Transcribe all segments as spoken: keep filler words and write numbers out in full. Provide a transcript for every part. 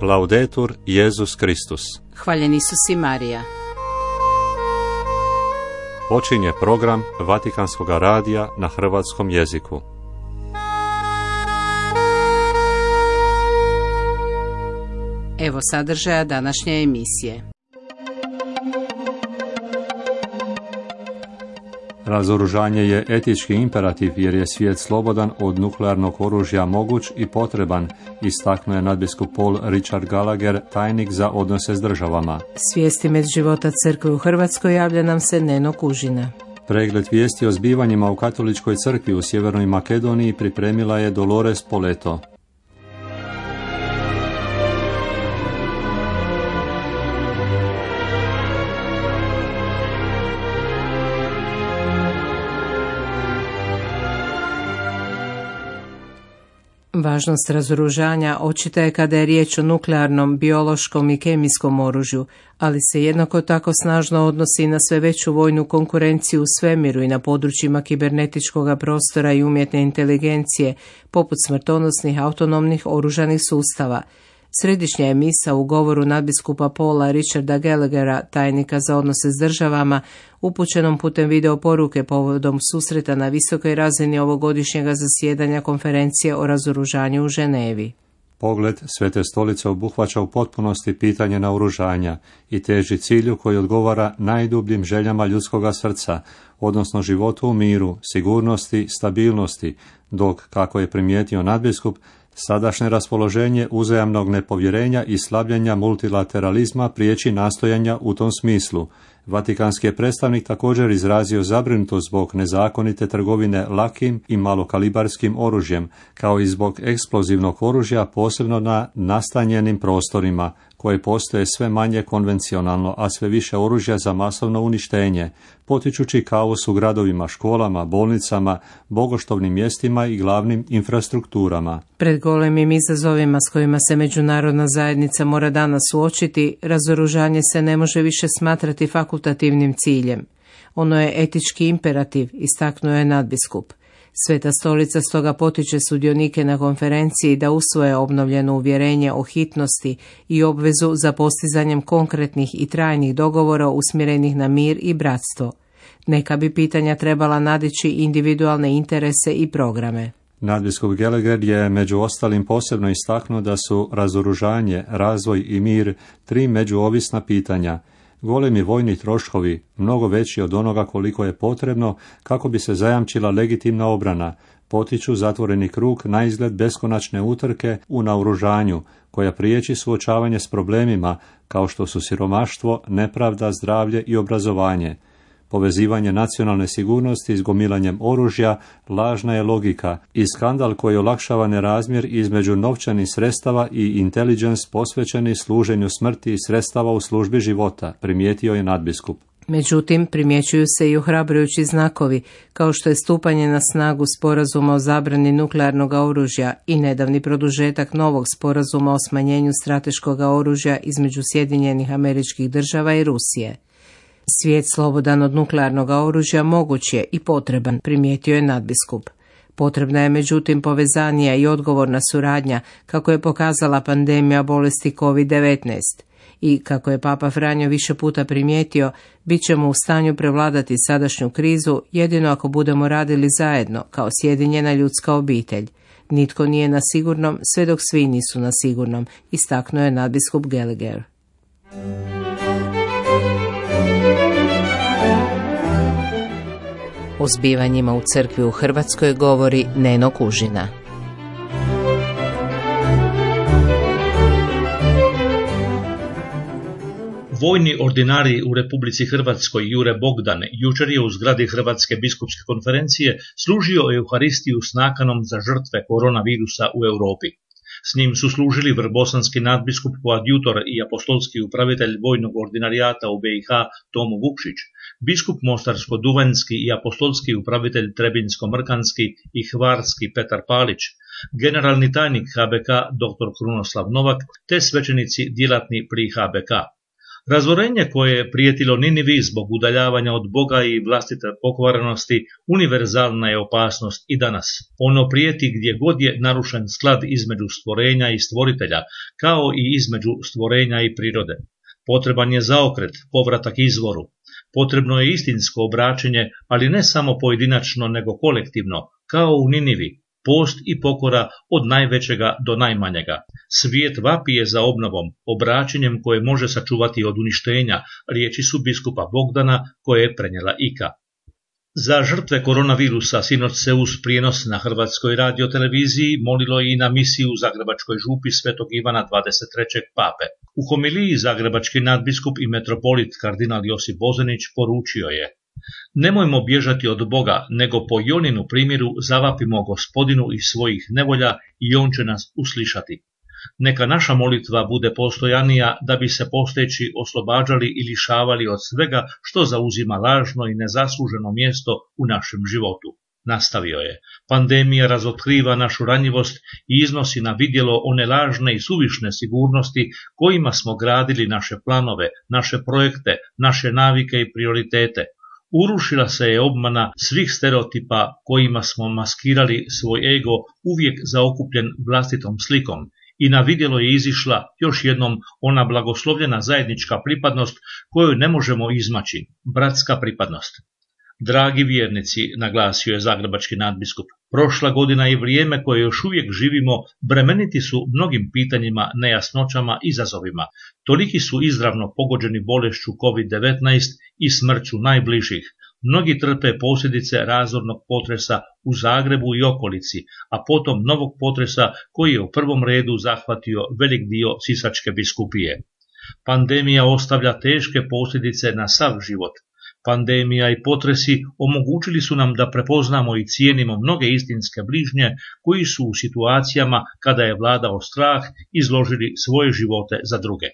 Laudetur Jesus Kristus. Hvaljen Isus i Marija. Počinje program Vatikanskog radija na hrvatskom jeziku. Evo sadržaja današnje emisije. Razoružanje je etički imperativ jer je svijet slobodan od nuklearnog oružja moguć i potreban, istaknuo je nadbiskup Paul Richard Gallagher, tajnik za odnose s državama. Svijesti med života crkve u Hrvatskoj javlja nam se Neno Kužina. Pregled vijesti o zbivanjima u katoličkoj crkvi u Sjevernoj Makedoniji pripremila je Dolores Poleto. Važnost razoružanja očita je kada je riječ o nuklearnom, biološkom i kemijskom oružju, ali se jednako tako snažno odnosi na sve veću vojnu konkurenciju u svemiru i na područjima kibernetičkog prostora i umjetne inteligencije, poput smrtonosnih autonomnih oružanih sustava. Središnja je misa u govoru nadbiskupa Paula Richarda Gallaghera, tajnika za odnose s državama, upućenom putem video poruke povodom susreta na visokoj razini ovogodišnjega zasjedanja konferencije o razoružanju u Ženevi. Pogled Svete stolice obuhvaća u potpunosti pitanje naoružanja i teži cilju koji odgovara najdubljim željama ljudskoga srca, odnosno životu u miru, sigurnosti, stabilnosti, dok, kako je primijetio nadbiskup, sadašnje raspoloženje uzajamnog nepovjerenja i slabljenja multilateralizma priječi nastojanja u tom smislu. Vatikanski je predstavnik također izrazio zabrinutost zbog nezakonite trgovine lakim i malokalibarskim oružjem, kao i zbog eksplozivnog oružja posebno na nastanjenim prostorima, koje postoje sve manje konvencionalno, a sve više oružja za masovno uništenje, potičući kaos u gradovima, školama, bolnicama, bogoštovnim mjestima i glavnim infrastrukturama. Pred golemim izazovima s kojima se međunarodna zajednica mora danas suočiti, razoružanje se ne može više smatrati fakultativnim ciljem. Ono je etički imperativ, istaknuo je nadbiskup. Sveta stolica stoga potiče sudionike na konferenciji da usvoje obnovljeno uvjerenje o hitnosti i obvezu za postizanjem konkretnih i trajnih dogovora usmjerenih na mir i bratstvo. Neka bi pitanja trebala nadići individualne interese i programe. Nadbiskup Gallagher je među ostalim posebno istaknuo da su razoružanje, razvoj i mir tri međuovisna pitanja. Golemi vojni troškovi, mnogo veći od onoga koliko je potrebno kako bi se zajamčila legitimna obrana, potiču zatvoreni krug na izgled beskonačne utrke u naoružanju, koja priječi suočavanje s problemima kao što su siromaštvo, nepravda, zdravlje i obrazovanje. Povezivanje nacionalne sigurnosti s gomilanjem oružja lažna je logika i skandal koji olakšava nerazmjer između novčanih sredstava i intelligence posvećeni služenju smrti i sredstava u službi života, primijetio je nadbiskup. Međutim, primjećuju se i ohrabrujući znakovi, kao što je stupanje na snagu sporazuma o zabrani nuklearnog oružja i nedavni produžetak novog sporazuma o smanjenju strateškog oružja između Sjedinjenih Američkih Država i Rusije. Svijet slobodan od nuklearnog oružja moguć je i potreban, primijetio je nadbiskup. Potrebna je međutim povezanija i odgovorna suradnja, kako je pokazala pandemija bolesti kovid devetnaest. I, kako je Papa Franjo više puta primijetio, bit ćemo u stanju prevladati sadašnju krizu jedino ako budemo radili zajedno, kao sjedinjena ljudska obitelj. Nitko nije na sigurnom, sve dok svi nisu na sigurnom, istaknuo je nadbiskup Gallagher. O zbivanjima u crkvi u Hrvatskoj govori Neno Kužina. Vojni ordinarij u Republici Hrvatskoj Jure Bogdan jučer je u zgradi Hrvatske biskupske konferencije služio Euharistiju s nakanom za žrtve koronavirusa u Europi. S njim su služili vrbosanski nadbiskup koadjutor i apostolski upravitelj vojnog ordinarijata u B i H Tomo Vukšić, biskup mostarsko-duvanjski i apostolski upravitelj trebinsko-mrkanski i hvarski Petar Palić, generalni tajnik H B K dr. Krunoslav Novak te svećenici djelatni pri H B K. Razorenje koje je prijetilo Ninivi zbog udaljavanja od Boga i vlastite pokvarenosti univerzalna je opasnost i danas. Ono prijeti gdje god je narušen sklad između stvorenja i stvoritelja, kao i između stvorenja i prirode. Potreban je zaokret, povratak izvoru. Potrebno je istinsko obraćenje, ali ne samo pojedinačno nego kolektivno, kao u Ninivi. Post i pokora od najvećega do najmanjega. Svijet vapije za obnovom, obraćenjem koje može sačuvati od uništenja, riječi su biskupa Bogdana koje je prenijela Ika. Za žrtve koronavirusa sinoć se uz prijenos na Hrvatskoj radioteleviziji molilo i na misiji u Zagrebačkoj župi Svetog Ivana dvadeset trećeg pape. U homiliji zagrebački nadbiskup i metropolit kardinal Josip Bozanić poručio je: nemojmo bježati od Boga, nego po Joninu primjeru zavapimo Gospodinu iz svojih nevolja i On će nas uslišati. Neka naša molitva bude postojanija da bi se postojeći oslobađali i lišavali od svega što zauzima lažno i nezasluženo mjesto u našem životu. Nastavio je: pandemija razotkriva našu ranjivost i iznosi na vidjelo one lažne i suvišne sigurnosti kojima smo gradili naše planove, naše projekte, naše navike i prioritete. Urušila se je obmana svih stereotipa kojima smo maskirali svoj ego uvijek zaokupljen vlastitom slikom i na vidjelo je izišla još jednom ona blagoslovljena zajednička pripadnost koju ne možemo izmaći, bratska pripadnost. Dragi vjernici, naglasio je zagrebački nadbiskup, prošla godina i vrijeme koje još uvijek živimo bremeniti su mnogim pitanjima, nejasnoćama, izazovima. Toliki su izravno pogođeni bolešću kovid devetnaest i smrću najbližih. Mnogi trpe posljedice razornog potresa u Zagrebu i okolici, a potom novog potresa koji je u prvom redu zahvatio velik dio Sisačke biskupije. Pandemija ostavlja teške posljedice na sav život. Pandemija i potresi omogućili su nam da prepoznamo i cijenimo mnoge istinske bližnje koji su u situacijama kada je vladao strah izložili svoje živote za druge.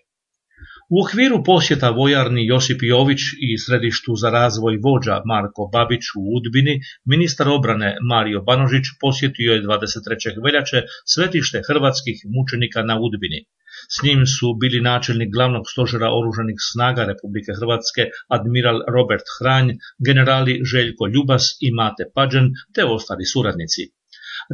U okviru posjeta vojarni Josip Jović i središtu za razvoj vođa Marko Babić u Udbini, ministar obrane Mario Banožić posjetio je dvadeset trećeg veljače svetište hrvatskih mučenika na Udbini. S njim su bili načelnik glavnog stožera oružanih snaga Republike Hrvatske admiral Robert Hranj, generali Željko Ljubas i Mate Pađen te ostali suradnici.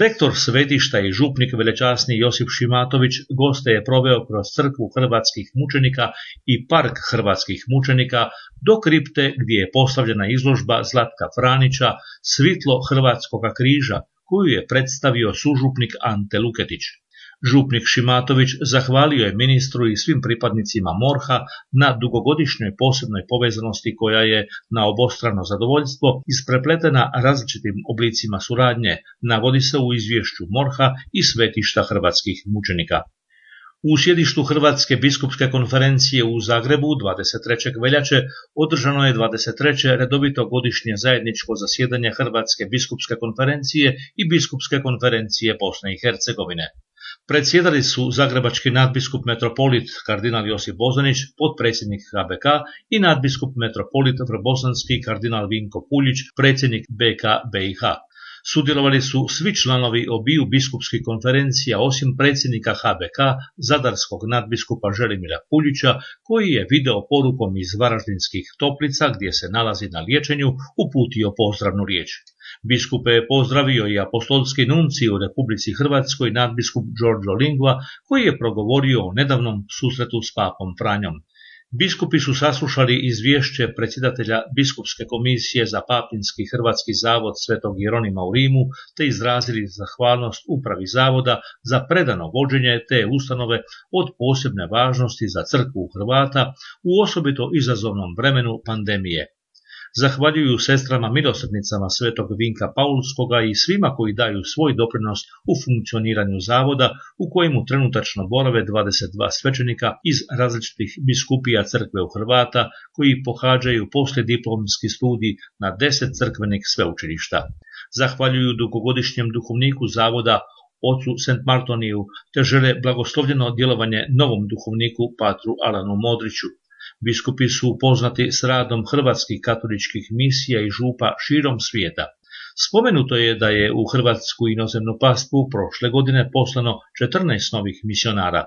Rektor svetišta i župnik velečasni Josip Šimatović goste je proveo kroz crkvu hrvatskih mučenika i park hrvatskih mučenika do kripte gdje je postavljena izložba Zlatka Franića Svitlo hrvatskoga križa koju je predstavio sužupnik Ante Luketić. Župnik Šimatović zahvalio je ministru i svim pripadnicima MORH-a na dugogodišnjoj posebnoj povezanosti koja je na obostrano zadovoljstvo isprepletena različitim oblicima suradnje, navodi se u izvješću MORH-a i svetišta hrvatskih mučenika. U sjedištu Hrvatske biskupske konferencije u Zagrebu dvadeset trećeg veljače održano je dvadeset treće redovito godišnje zajedničko zasjedanje Hrvatske biskupske konferencije i Biskupske konferencije Bosne i Hercegovine. Predsjedali su zagrebački nadbiskup metropolit kardinal Josip Bozanić, potpredsjednik H B K i nadbiskup metropolit vrbosanski kardinal Vinko Puljić, predsjednik B K B I H. Sudjelovali su svi članovi obiju biskupskih konferencija osim predsjednika H B K, zadarskog nadbiskupa Želimira Puljića, koji je video porukom iz Varaždinskih Toplica, gdje se nalazi na liječenju, uputio pozdravnu riječ. Biskupe je pozdravio i apostolski nuncij u Republici Hrvatskoj nadbiskup Giorgio Lingua, koji je progovorio o nedavnom susretu s papom Franjom. Biskupi su saslušali izvješće predsjedatelja Biskupske komisije za papinski hrvatski zavod Svetog Jeronima u Rimu, te izrazili zahvalnost upravi zavoda za predano vođenje te ustanove od posebne važnosti za crkvu Hrvata u osobito izazovnom vremenu pandemije. Zahvaljuju sestrama milosrdnicama Svetog Vinka Paulskoga i svima koji daju svoj doprinos u funkcioniranju zavoda u kojemu trenutačno borave dvadeset dva svećenika iz različitih biskupija crkve u Hrvata koji pohađaju poslijediplomski studij na deset crkvenih sveučilišta. Zahvaljuju dugogodišnjem duhovniku zavoda ocu Saint Martoniju te žele blagoslovljeno djelovanje novom duhovniku patru Alanu Modriću. Biskupi su upoznati s radom hrvatskih katoličkih misija i župa širom svijeta. Spomenuto je da je u hrvatsku inozemnu pastvu prošle godine poslano četrnaest novih misionara.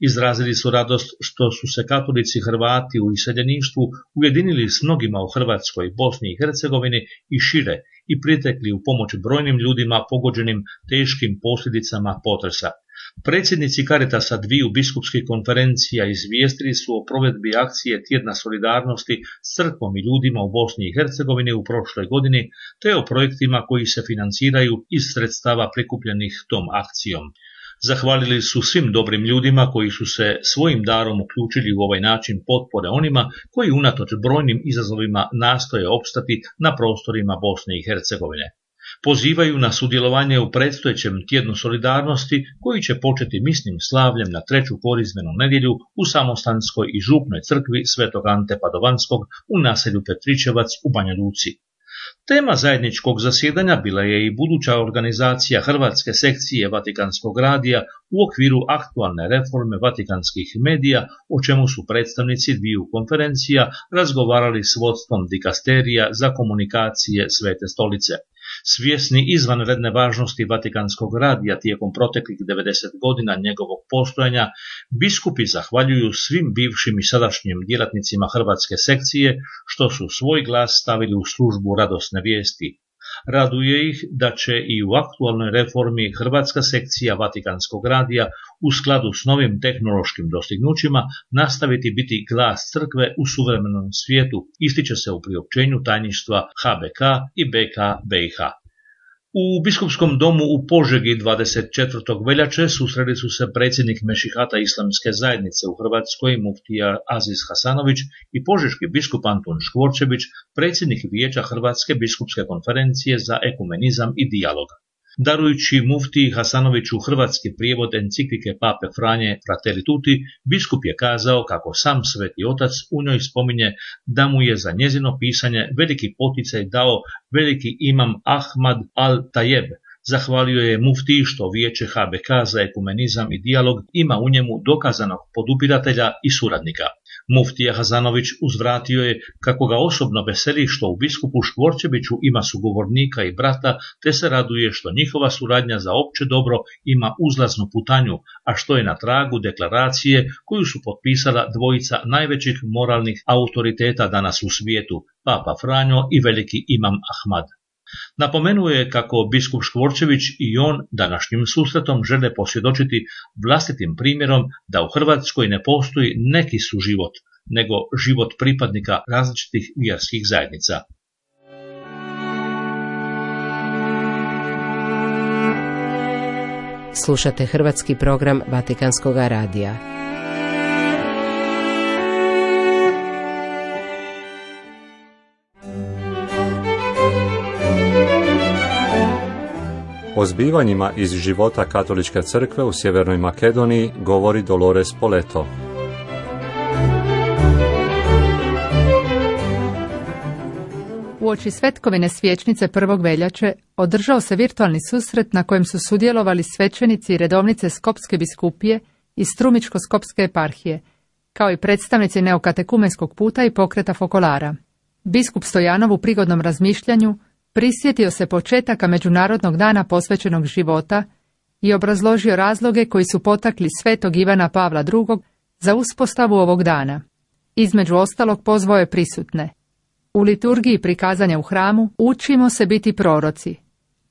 Izrazili su radost što su se katolici Hrvati u iseljeništvu ujedinili s mnogima u Hrvatskoj, Bosni i Hercegovini i šire i pritekli u pomoć brojnim ljudima pogođenim teškim posljedicama potresa. Predsjednici Caritasa dviju biskupskih konferencija izvijestili su o provedbi akcije Tjedna solidarnosti s crkvom i ljudima u Bosni i Hercegovini u prošloj godini, te o projektima koji se financiraju iz sredstava prikupljenih tom akcijom. Zahvalili su svim dobrim ljudima koji su se svojim darom uključili u ovaj način potpore onima koji unatoč brojnim izazovima nastoje opstati na prostorima Bosne i Hercegovine. Pozivaju na sudjelovanje u predstojećem tjednu solidarnosti koji će početi misnim slavljem na treću korizmenu nedjelju u Samostanskoj i župnoj crkvi Svetog Ante Padovanskog u naselju Petričevac u Banja Luci. Tema zajedničkog zasjedanja bila je i buduća organizacija Hrvatske sekcije Vatikanskog radija u okviru aktualne reforme vatikanskih medija, o čemu su predstavnici dviju konferencija razgovarali s vodstvom dikasterija za komunikacije Svete stolice. Svjesni izvanredne važnosti Vatikanskog radija tijekom proteklih devedeset godina njegovog postojanja, biskupi zahvaljuju svim bivšim i sadašnjim djelatnicima Hrvatske sekcije što su svoj glas stavili u službu radosne vijesti. Raduje ih da će i u aktualnoj reformi Hrvatska sekcija Vatikanskog radija u skladu s novim tehnološkim dostignućima nastaviti biti glas crkve u suvremenom svijetu, ističe se u priopćenju tajništva H B K i B K B i H. U biskupskom domu u Požegi dvadeset četvrtog veljače susreli su se predsjednik Mešihata Islamske zajednice u Hrvatskoj muftija Aziz Hasanović i požeški biskup Antun Škvorčević, predsjednik Vijeća Hrvatske biskupske konferencije za ekumenizam i dijalog. Darujući muftiji Hasanoviću hrvatski prijevod enciklike Pape Franje Fratelli Tutti, biskup je kazao kako sam Sveti Otac u njoj spominje da mu je za njezino pisanje veliki poticaj dao veliki imam Ahmad al-Tajeb. Zahvalio je muftiji što Vijeće H B K za ekumenizam i dijalog ima u njemu dokazanog podupiratelja i suradnika. Muftija Hasanović uzvratio je kako ga osobno veseli što u biskupu Škvorčeviću ima sugovornika i brata, te se raduje što njihova suradnja za opće dobro ima uzlaznu putanju, a što je na tragu deklaracije koju su potpisala dvojica najvećih moralnih autoriteta danas u svijetu, Papa Franjo i veliki imam Ahmad. Napomenuo je kako biskup Škvorčević i on današnjim susretom žele posvjedočiti vlastitim primjerom da u Hrvatskoj ne postoji neki suživot, nego život pripadnika različitih vjerskih zajednica. Slušate hrvatski program Vatikanskog radija. O zbivanjima iz života Katoličke crkve u Sjevernoj Makedoniji govori Dolores Poleto. Uoči Svetkovine svječnice prvog veljače održao se virtualni susret na kojem su sudjelovali svećenici i redovnice Skopske biskupije i Strumičko-skopske eparhije, kao i predstavnici neokatekumenskog puta i pokreta Fokolara. Biskup Stojanov u prigodnom razmišljanju prisjetio se početaka Međunarodnog dana posvećenog života i obrazložio razloge koji su potakli svetog Ivana Pavla drugog za uspostavu ovog dana. Između ostalog pozvao je prisutne. U liturgiji prikazanja u hramu učimo se biti proroci,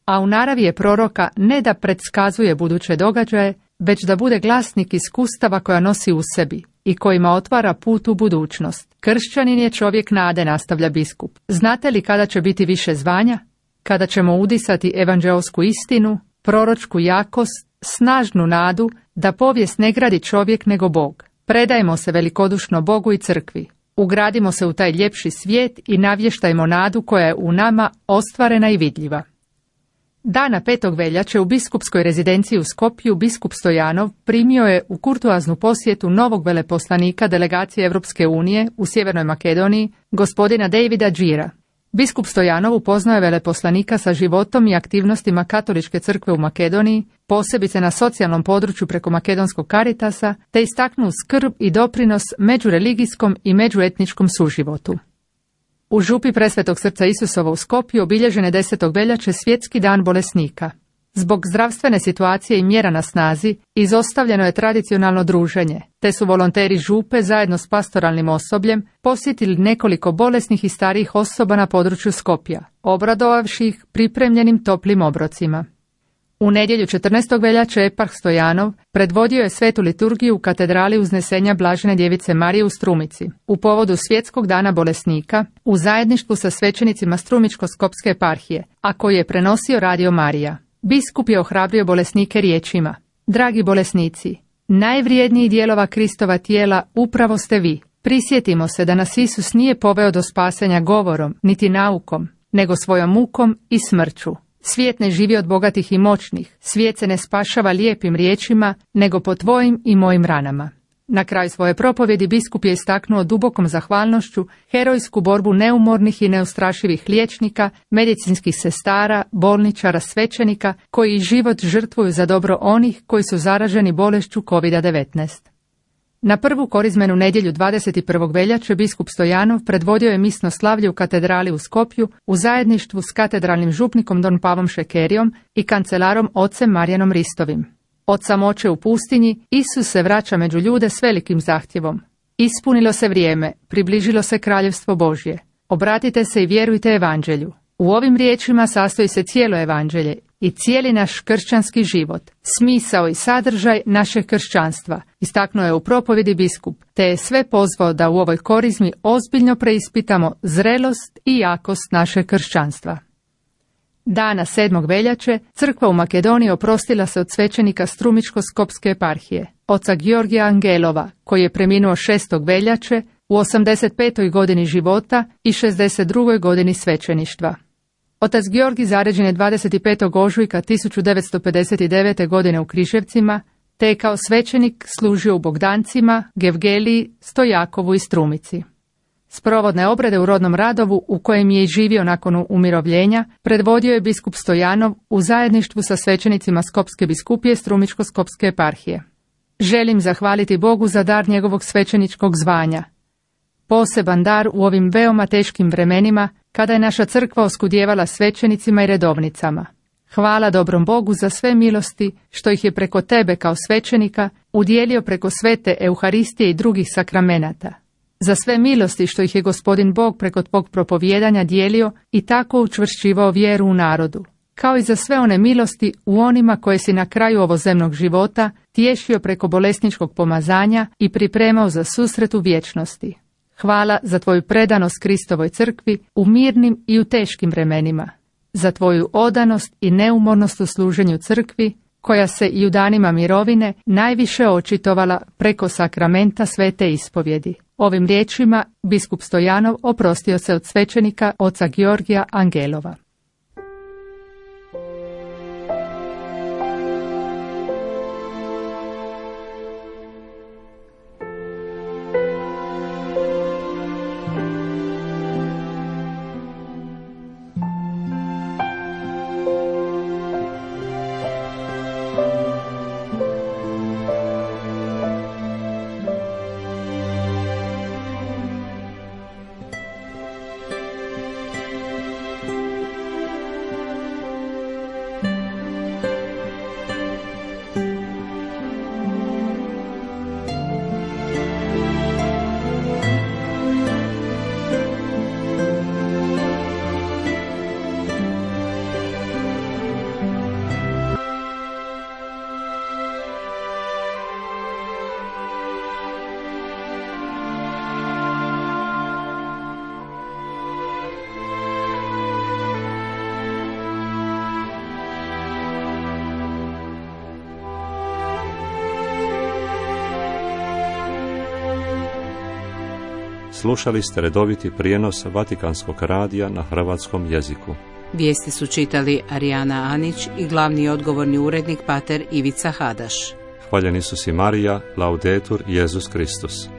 a u naravi je proroka ne da predskazuje buduće događaje, već da bude glasnik iskustava koja nosi u sebi i kojima otvara put u budućnost. Kršćanin je čovjek nade, nastavlja biskup. Znate li kada će biti više zvanja? Kada ćemo udisati evanđeosku istinu, proročku jakost, snažnu nadu da povijest ne gradi čovjek nego Bog. Predajmo se velikodušno Bogu i crkvi. Ugradimo se u taj ljepši svijet i navještajmo nadu koja je u nama ostvarena i vidljiva. Dana petog veljače u biskupskoj rezidenciji u Skopju biskup Stojanov primio je u kurtoaznu posjetu novog veleposlanika delegacije Europske unije u Sjevernoj Makedoniji, gospodina Davida Džira. Biskup Stojanov upoznao je veleposlanika sa životom i aktivnostima Katoličke crkve u Makedoniji, posebice na socijalnom području preko Makedonskog Caritasa, te istaknuo skrb i doprinos međureligijskom i međuetničkom suživotu. U župi Presvetog srca Isusova u Skopju obilježen je desetog veljače svjetski dan bolesnika. Zbog zdravstvene situacije i mjera na snazi, izostavljeno je tradicionalno druženje, te su volonteri župe zajedno s pastoralnim osobljem posjetili nekoliko bolesnih i starijih osoba na području Skopja, obradovavši ih pripremljenim toplim obrocima. U nedjelju četrnaestog veljače eparh Stojanov predvodio je svetu liturgiju u katedrali Uznesenja Blažene djevice Marije u Strumici, u povodu Svjetskog dana bolesnika, u zajedništvu sa svećenicima Strumičko-skopske eparhije, a koji je prenosio Radio Marija. Biskup je ohrabrio bolesnike riječima: dragi bolesnici, najvrijedniji dijelova Kristova tijela upravo ste vi. Prisjetimo se da nas Isus nije poveo do spasenja govorom, niti naukom, nego svojom mukom i smrću. Svijet ne živi od bogatih i moćnih, svijet se ne spašava lijepim riječima, nego po tvojim i mojim ranama. Na kraju svoje propovjedi biskup je istaknuo dubokom zahvalnošću herojsku borbu neumornih i neustrašivih liječnika, medicinskih sestara, bolničara, svećenika, koji život žrtvuju za dobro onih koji su zaraženi bolešću kovid devetnaest. Na prvu korizmenu nedjelju dvadeset prvog veljače biskup Stojanov predvodio je misno slavlje u katedrali u Skopju u zajedništvu s katedralnim župnikom Don Pavom Šekerijom i kancelarom ocem Marijanom Ristovim. Od samoće u pustinji Isus se vraća među ljude s velikim zahtjevom. Ispunilo se vrijeme, približilo se kraljevstvo Božje. Obratite se i vjerujte evanđelju. U ovim riječima sastoji se cijelo evanđelje i cijeli naš kršćanski život, smisao i sadržaj našeg kršćanstva, istaknuo je u propovjedi biskup, te je sve pozvao da u ovoj korizmi ozbiljno preispitamo zrelost i jakost našeg kršćanstva. Dana sedmog veljače crkva u Makedoniji oprostila se od svećenika Strumičko-skopske eparhije, oca Georgija Angelova, koji je preminuo šestog veljače u osamdeset petoj godini života i šezdeset drugoj godini svećeništva. Otac Georgij zaređen je dvadeset petog ožujka tisuću devetsto pedeset devete. godine u Križevcima, te je kao svećenik služio u Bogdancima, Gevgeliji, Stojakovu i Strumici. Sprovodne obrede u rodnom Radovu, u kojem je i živio nakon umirovljenja, predvodio je biskup Stojanov u zajedništvu sa svećenicima Skopske biskupije Strumičko-skopske eparhije. Želim zahvaliti Bogu za dar njegovog svećeničkog zvanja. Poseban dar u ovim veoma teškim vremenima, kada je naša crkva oskudjevala svećenicima i redovnicama. Hvala dobrom Bogu za sve milosti što ih je preko tebe kao svećenika udjelio preko svete Euharistije i drugih sakramenata. Za sve milosti što ih je Gospodin Bog preko tvog propovijedanja dijelio i tako učvršćivao vjeru u narodu, kao i za sve one milosti u onima koje si na kraju ovozemnog života tješio preko bolesničkog pomazanja i pripremao za susret u vječnosti. Hvala za tvoju predanost Kristovoj crkvi u mirnim i u teškim vremenima, za tvoju odanost i neumornost u služenju crkvi, koja se i u danima mirovine najviše očitovala preko sakramenta svete ispovjedi. Ovim riječima biskup Stojanov oprostio se od svećenika oca Georgija Angelova. Slušali ste redoviti prijenos Vatikanskog radija na hrvatskom jeziku. Vijesti su čitali Arijana Anić i glavni odgovorni urednik pater Ivica Hadaš. Hvaljeni su si Marija, Laudetur Jesus Kristus.